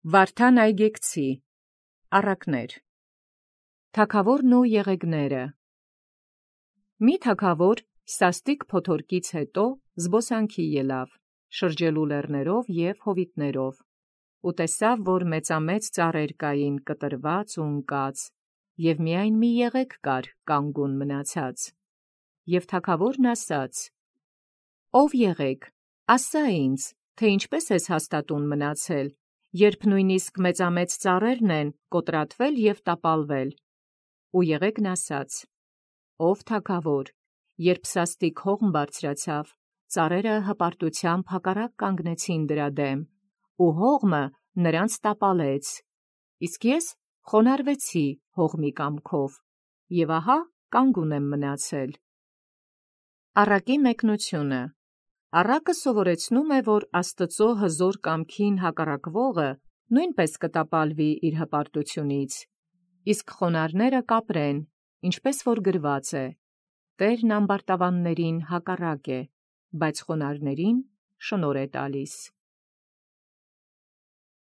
Վարդան այգեկցի, առակներ։ Թագաւորն ու եղեգները։ Մի թագաւոր սաստիկ փոթորկից հետո զբոսանքի ելավ, շրջելու լեռներով և հովիտներով, ու տեսավ, որ մեծամեծ ծառեր կային կտրված ու ընկած, և միայն մի եղեգ կար կանգուն մնացած։ Եւ թագաւորն ասաց. «Ով եղեգ, ասա ինձ, թե ինչպէս ես հաստատուն մնացել, երբ նույնիսկ մեծամեծ ծառերն են կոտրատվել և տապալվել»։ Ու եղեգն ասաց. «Ով թագաւոր, երբ սաստիկ հողմ բարձրացավ, ծառերը հպարտությամբ հակառակ կանգնեցին դրա դեմ, ու հողմը նրանց տապալեց, իսկ ես խոնարհվեցի հողմի կամքով, և ահա կանգուն եմ մնացել»։ Առակի մեկնությունը։ Առակը սովորեցնում է, որ Աստծո հզոր կամքին հակառակվողը նույնպես կտապալվի իր հպարտությունից, իսկ խոնարհները կապրեն, ինչպես որ գրված է. «Տէրն ամբարտավաններին հակառակ է, բայց խոնարհներին շնորհ է տալիս»։